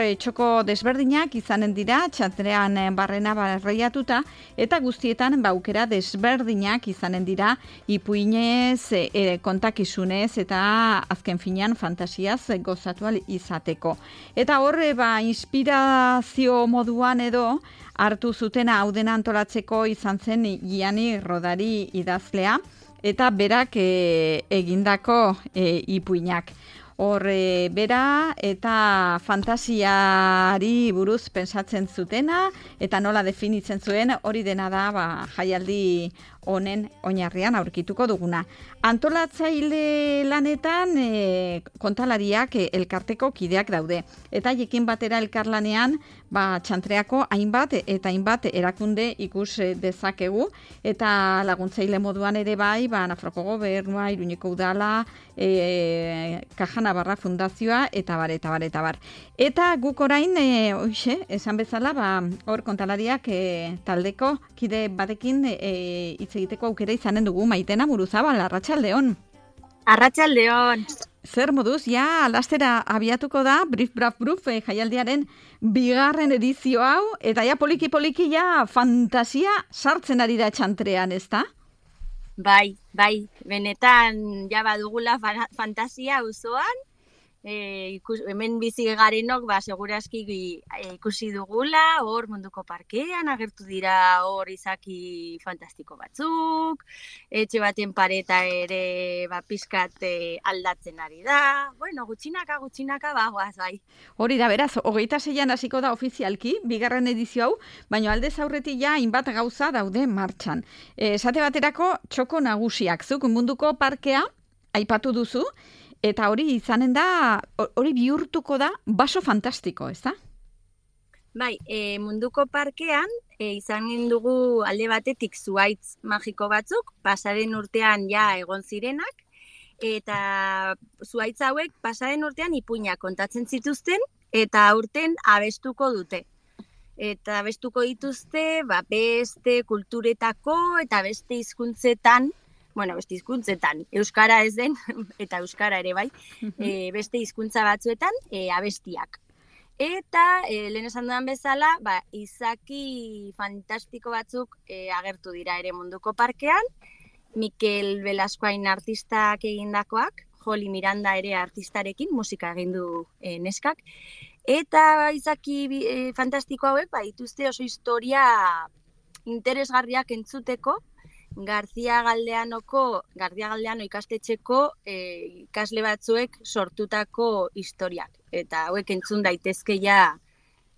Txoko desberdinak izanen dira, txantrean barrena barreiatuta, eta guztietan aukera desberdinak izanen dira, ipuinez, kontakizunez, eta azken finean fantasiaz gozatu ahal izateko. Eta horre, inspirazio moduan edo, hartu zutena hau dena antolatzeko izan zen Gianni Rodari idazlea, eta berak egindako ipuinak. Bera eta fantasiari buruz pensatzen zutena eta nola definitzen zuen hori dena da jaialdi honen oinarrian aurkituko duguna. Antolatzaile lanetan kontalariak elkarteko kideak daude. Eta jekin batera elkarlanean txantreako hainbat eta hainbat erakunde ikus dezakegu. Eta laguntzaile moduan ere Nafarroko Gobernua, Iruñeko Udala, Caja Navarra Fundazioa, eta bar. Eta guk orain, esan bezala, hor kontalariak taldeko kide batekin hitz egiteko aukera izanen dugu. Maitena Muruzabal, arratsaldeon. Arratsaldeon. Zer moduz, lastera abiatuko da, Brief Braf Bruf jaialdiaren 2. edizio hau, eta poliki-poliki fantasia sartzen ari da txantrean, ezta? Bai, benetan badugula fantasia auzoan, hemen bizi garenok segurazki ikusi dugula, hor Munduko Parkean agertu dira hor izaki fantastiko batzuk, etxe baten pareta ere pizkat aldatzen ari da, gutxinaka bagoaz bai. Hori da, beraz, 26an hasiko da ofizialki, 2. edizio hau, baina aldez aurretik hainbat gauza daude martxan. Esate baterako txoko nagusiak, zuk Munduko Parkea aipatu duzu, eta hori izanen da, hori bihurtuko da baso fantastiko, ez da? Bai, Munduko Parkean izanen dugu alde batetik zuhaitz magiko batzuk, pasaren urtean egon zirenak, eta zuhaitz hauek pasaren urtean ipuinak kontatzen zituzten, eta aurten abestuko dute. Eta abestuko dituzte, beste kulturetako eta beste hizkuntzetan, beste hizkuntzetan, euskara ez den, eta euskara ere bai, beste hizkuntza batzuetan abestiak. Eta, lehen esan dudan bezala, izaki fantastiko batzuk agertu dira ere Munduko Parkean, Mikel Velascoain artistak egindakoak, Joli Miranda ere artistarekin, musika egin du neskak, eta izaki fantastiko hauek, dituzte oso historia interesgarriak entzuteko, García Galdeano ikastetxeko ikasle batzuek sortutako historiak. Eta hauek entzun daitezke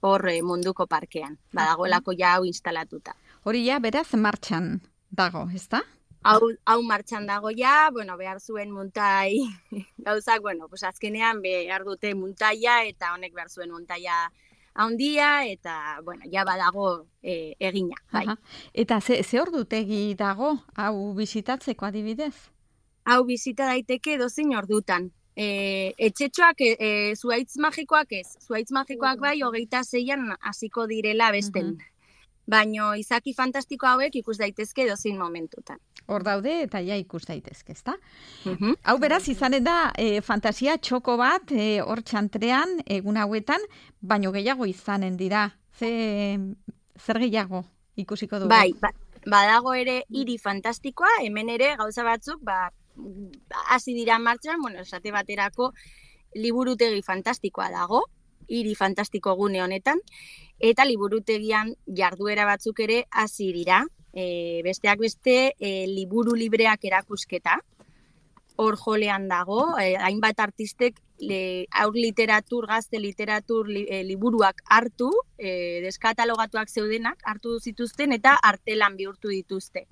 hor Munduko Parkean. Badagoelako hau instalatuta. Hori beraz martxan dago, ezta? Hau martxan dago behar zuen muntai gauzak, azkenean behar dute muntaia eta honek behar zuen muntaia handia eta, badago egina. Bai. Eta ze ordutegi dago, hau bisitatzeko adibidez? Hau bisita daiteke edozein ordutan. Etxetxoak, zuhaitz magikoak ez. Zuhaitz magikoak 26an hasiko direla besten. Baina izaki fantastiko hauek ikus daitezke edozein momentutan. Hor daude eta ikus daitezke, ezta? Hau beraz izanen da fantasia txoko bat hor txantrean egun hauetan, baino gehiago izanen dira. Zer gehiago ikusiko dugu? Bai, badago ere hiri fantastikoa, hemen ere gauza batzuk hasi dira martxan, esate baterako liburutegi fantastikoa dago, hiri fantastiko gune honetan, eta liburutegian jarduera batzuk ere hasi dira. Besteak beste liburu libreak erakusketa, hor jolean dago, hainbat artistek aur literatur, gazte literatur liburuak hartu, deskatalogatuak zeudenak hartu zituzten eta artelan bihurtu dituzte.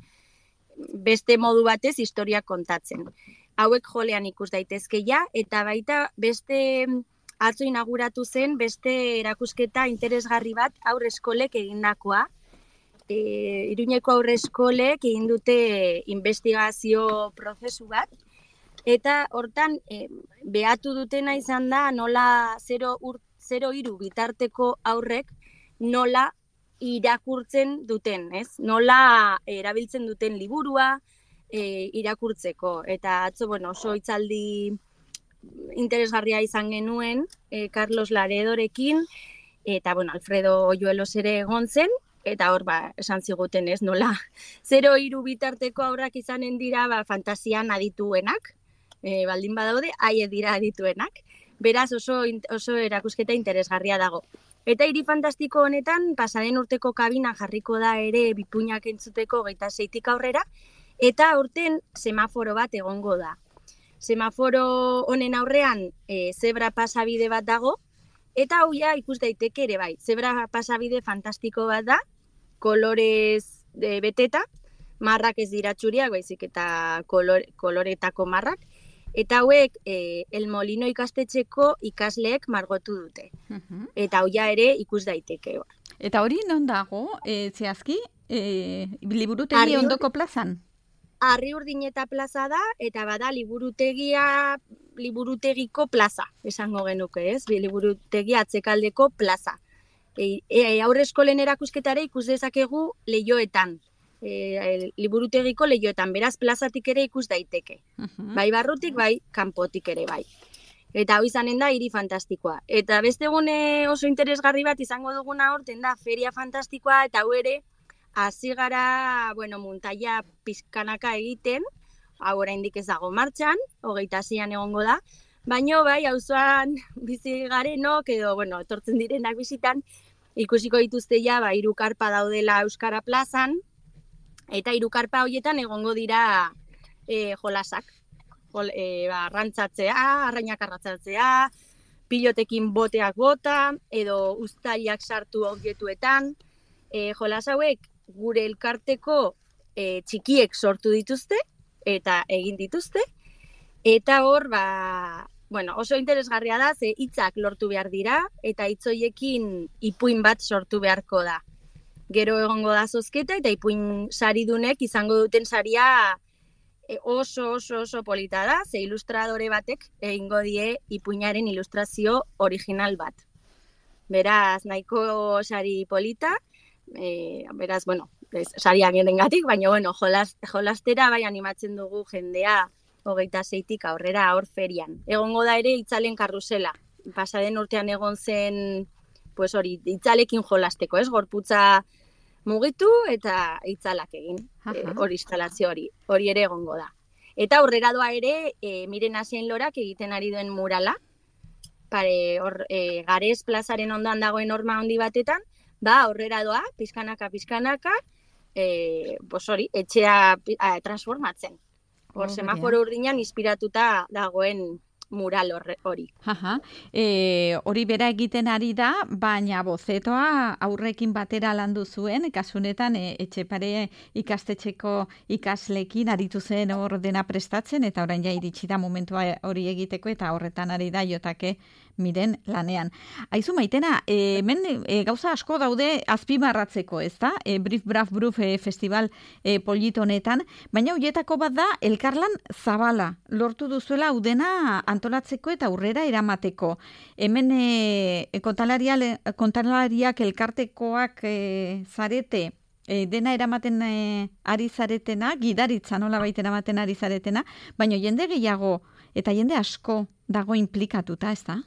Beste modu batez historiak kontatzen. Hauek jolean ikus daitezke eta baita beste atzo inauguratu zen beste erakusketa interesgarri bat aurre eskolek egindakoa. Iruñeko aurre eskolek egin dute investigazio prozesu bat, eta hortan behatu dutena izan da nola 0-3 bitarteko aurrek nola irakurtzen duten, ez? Nola erabiltzen duten liburua irakurtzeko. Eta atzo, oso hitzaldi interesgarria izan genuen, Carlos Laredorekin, eta, bueno, Alfredo Oyuelos ere egon zen, eta hor, esan ziguten ez, nola, 0-3 bitarteko aurrak izanen dira, fantasian adituenak, baldin badaude, haie dira adituenak. Beraz, oso erakusketa interesgarria dago. Eta hiri fantastiko honetan, pasaren urteko kabina jarriko da ere bipuinak entzuteko 26tik aurrera, eta aurten semaforo bat egongo da. Semaforo honen aurrean zebra pasabide bat dago, eta hau ja ikus daiteke ere bai. Zebra pasabide fantastiko bat da, kolorez beteta, marrak ez dira txuriak, baizik eta koloretako marrak, eta hauek El Molino ikastetxeko ikasleek margotu dute. Eta hau ja ere ikus daiteke. Eta hori non dago, zehazki, liburutegi ondoko plazan? Arriurdineta plaza da, eta bada liburutegiko plaza, esango genuke, ez? Liburutegi atzekaldeko plaza. Aurre eskolen erakusketare ikus dezakegu lehioetan, liburutegiko lehioetan, beraz plazatik ere ikus daiteke. Bai barrutik, bai kanpotik ere bai. Eta hau izanen da hiri fantastikoa. Eta beste egune oso interesgarri bat izango duguna horten da feria fantastikoa, eta hau ere hasi gara, muntaia pizkanaka egiten, hau oraindik ez dago martxan, 26an egongo da, baino bai, auzoan bizi garenok, edo, etortzen direnak bizitan, ikusiko dituzte ja, 3 karpa daudela Euskara plazan, eta 3 karpa horietan egongo dira jolasak. Arrantzatzea, arrainak arratzatzea, pilotekin boteak bota, edo uztailak sartu objetuetan. Jolas hauek gure elkarteko txikiek sortu dituzte, eta egin dituzte, eta hor, oso interesgarria da, ze hitzak lortu behar dira, eta hitz horiekin ipuin bat sortu beharko da. Gero egongo da zozketa, eta ipuin saridunek izango duten saria oso polita da, ze ilustradore batek egingo die ipuinaren ilustrazio original bat. Beraz, nahiko sari polita, beraz, sariak gerengatik, baina, jolastera bai animatzen dugu jendea 26tik aurrera hor ferian. Egongo da ere itzalen karrusela. Pasaden urtean egon zen, itzalekin jolasteko, ez? Gorputza mugitu eta itzalak egin, hori instalazio hori ere egongo da. Eta aurrera doa ere, Miren Asien Lorak egiten ari duen murala, Garez plazaren ondoan dagoen horma handi batetan, aurrera doa, pizkanaka, etxea transformatzen. Hor semaforo urdinan inspiratuta dagoen mural hori. Hori bera egiten ari da, baina bozetoa aurrekin batera landu zuen, kasunetan Etxepare ikastetxeko ikaslekin aritu zen hor dena prestatzen, eta orain ja iritsi da momentua hori egiteko, eta horretan ari da Jotake Miren lanean. Aizu Maitena, hemen gauza asko daude azpimarratzeko, ez da? Brief Braf Bruf festival polit honetan, baina horietako bat da elkarlan zabala. Lortu duzuela hau dena antolatzeko eta aurrera eramateko. Hemen kontalariak elkartekoak zarete, dena eramaten ari zaretena, gidaritza nola baita eramaten ari zaretena, baina jende gehiago eta jende asko dago implikatuta, ez da?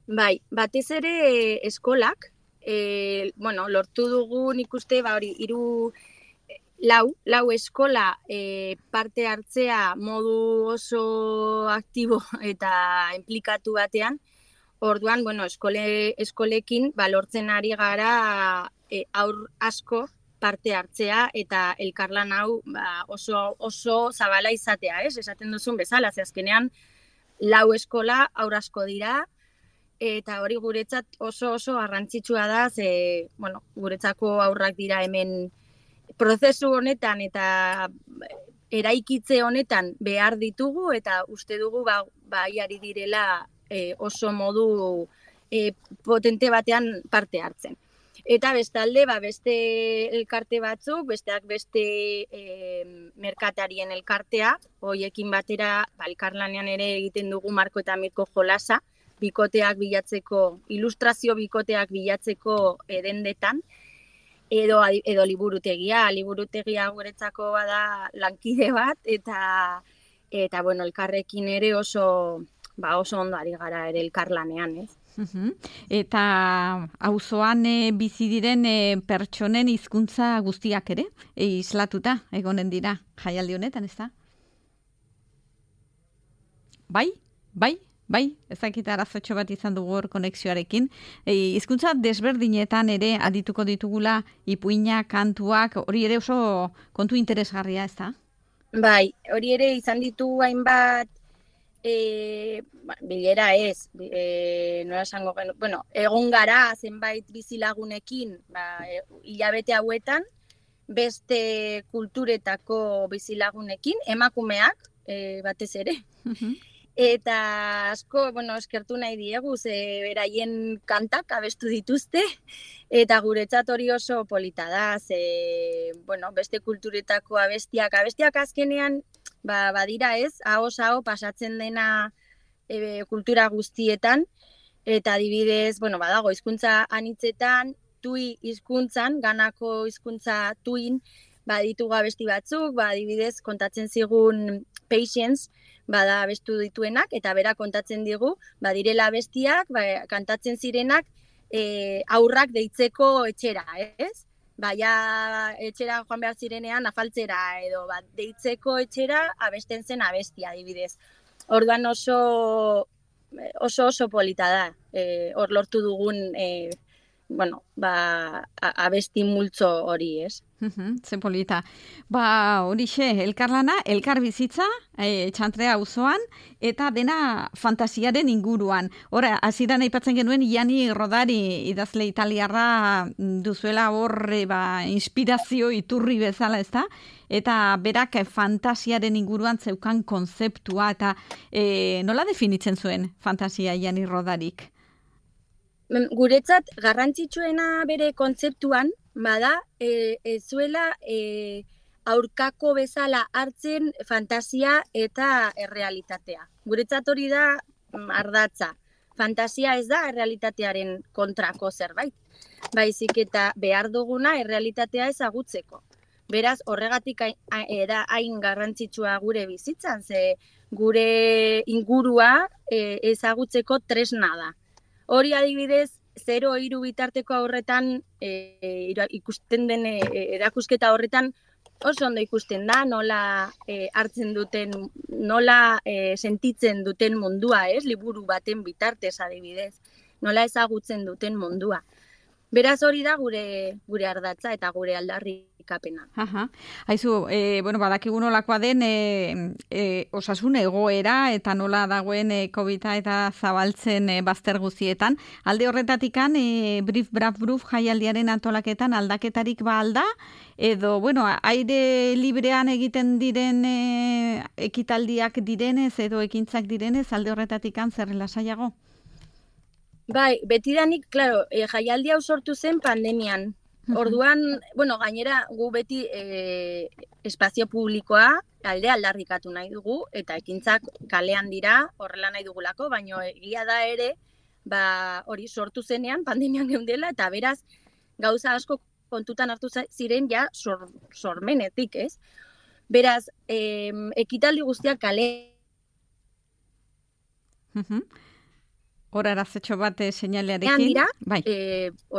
Bai, batez ere eskolak, lortu dugu nik uste, lau eskola parte hartzea modu oso aktibo eta implikatu batean. Orduan, eskolekin lortzen ari gara aur asko parte hartzea eta elkarlan hau oso zabala izatea, ez? Esaten duzun bezala, ze azkenean lau eskola aur asko dira, eta hori guretzat oso garrantzitsua da, ze, guretzako aurrak dira hemen prozesu honetan eta eraikitze honetan behar ditugu, eta uste dugu bai ari direla oso modu potente batean parte hartzen. Eta bestalde, beste elkarte batzuk, besteak beste merkatarien elkartea, hoiekin batera elkarlanean ere egiten dugu Marko eta Mirko jolasa, ilustrazio bikoteak bilatzeko dendetan, edo liburutegia guretzako bada lankide bat, eta eta bueno, elkarrekin ere oso ondo ari gara ere elkarlanean, ez? Eta auzoan bizi diren pertsonen hizkuntza guztiak ere islatuta egonen dira jaialdi honetan, ezta? Bai, ezakit arazotxo bat izan dugu hor konexioarekin. Hizkuntza desberdinetan ere adituko ditugula ipuina, kantuak, hori ere oso kontu interesgarria, ezta? Bai, hori ere izan ditugu hainbat bilera ez, nola esango genu, bueno, egon gara zenbait bizilagunekin, hilabete hauetan, beste kulturetako bizilagunekin, emakumeak, batez ere. Eta asko, eskertu nahi diegu, beraien kantak abestu dituzte, eta guretzat hori oso polita da, beste kulturetako abestiak azkenean, badira ez, aho pasatzen dena kultura guztietan, eta adibidez, badago hizkuntza anitzetan, tui hizkuntzan, ganako hizkuntza tuin, baditugu abesti batzuk, adibidez kontatzen zigun Patience, bada abestu dituenak, eta bera kontatzen digu, badirela abestiak, kantatzen zirenak aurrak deitzeko etxera, ez? Baina etxera joan behar zirenean afaltzera, edo deitzeko etxera abesten zen abestia, adibidez. Orduan oso polita da, hor lortu dugun abesti multzo hori, ez? Zen polita. Horixe, elkarlana, elkar bizitza, Txantrea auzoan, eta dena fantasiaren inguruan. Hora, hasieran aipatzen genuen, Gianni Rodari idazle italiarra duzuela hor inspirazio iturri bezala, ezta? Eta berak fantasiaren inguruan zeukan konzeptua, eta nola definitzen zuen fantasia Gianni Rodarik? Guretzat garrantzitsuena bere kontzeptuan, bada, ez zuela aurkako bezala hartzen fantasia eta errealitatea. Guretzat hori da ardatza. Fantasia ez da errealitatearen kontrako zerbait. Baizik eta behar duguna errealitatea ezagutzeko. Beraz, horregatik hain garrantzitsua gure bizitzan, ze gure ingurua ezagutzeko tresna da. Hori adibidez, 0-3 bitarteko horretan ikusten den erakusketa horretan oso ondo ikusten da, nola hartzen duten, nola sentitzen duten mundua, ez? Liburu baten bitartez adibidez, nola ezagutzen duten mundua. Beraz hori da gure ardatza eta gure aldarrikapena. Haizu, badakigu nolakoa den osasun egoera eta nola dagoen COVID-a eta zabaltzen bazter guztietan. Alde horretatikan, Brief Braf Bruf jaialdiaren antolaketan aldaketarik alda, edo, aire librean egiten diren ekitaldiak direnez edo ekintzak direnez, alde horretatikan zer lasaiago? Bai, betidanik, klaro, jaialdi hau sortu zen pandemian. Orduan, gainera gu beti espazio publikoa aldarrikatu nahi dugu, eta ekintzak kalean dira, horrela nahi dugulako, baina egia da ere, hori sortu zenean pandemian geundela, eta beraz, gauza asko kontutan hartu ziren ja sormenetik, ez? Beraz, ekitaldi guztiak kale... Hora arazetxo bat seinalearekin. Bai.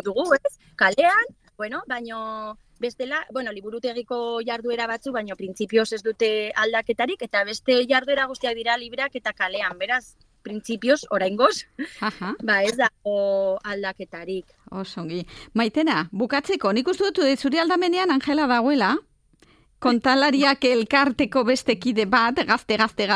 Dugu, ez? Kalean, baino bestela, liburutegiko jarduera batzu, baino printzipioz ez dute aldaketarik, eta beste jarduera guztiak dira libreak eta kalean, beraz, printzipioz, oraingoz, ez dago aldaketarik. Osongi. Maitena, bukatzeko, nik uste dut zuri aldamenean Angela dagoela, kontalariak elkarteko beste kide bat, gaztea,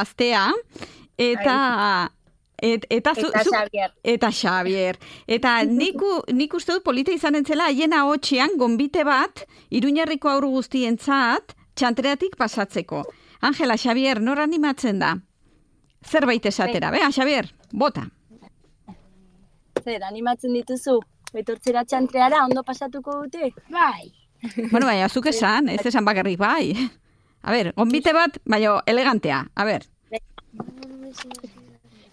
eta Xabier. Eta nik uste dut polita izan entzela haiena hotxean gonbite bat Iruñerriko haur guztientzat Txantreatik pasatzeko. Angela, Xabier, nor animatzen da? Zerbait esatera, Xabier, bota. Zer, animatzen dituzu? Betortzera Txantreara, ondo pasatuko dute? Bai. Bai, azuk esan, ez esan bakarrik bai. A ber, gonbite bat, baina elegantea, a ber.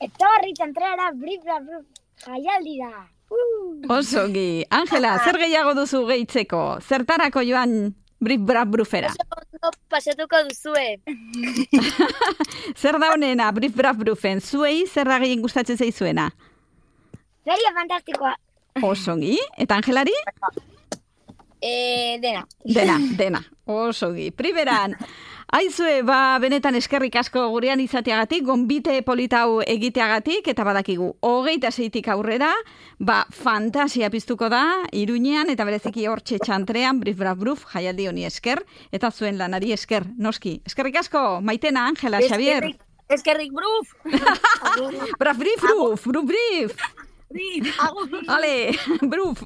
Etorri Txantreara, Brief Braf Bruf jaialdira. Osongi. Angela, zer gehiago duzu gehitzeko? Zertarako joan Brief Braf Brufera? pasatuko duzue. Zer da honena, Brif Braf Brufen? Zuei zer da gehien gustatzen zaizuena? Feria fantastikoa. Osongi. Eta Angelari? Dena. Dena. Osongi. Primeran, aizue, benetan eskerrik asko gurean izateagatik, gonbite politau egiteagatik, eta badakigu, 26tik aurrera, fantasia piztuko da, Iruñean, eta bereziki hortxe txantrean, Brif Braf Bruf, jaialdi honi esker, eta zuen lanari esker, noski. Eskerrik asko, Maitena, Angela, Xavier. Eskerrik Bruf! Braf Brif Bruf, Bruf Brif! Brif! Ale, Bruf!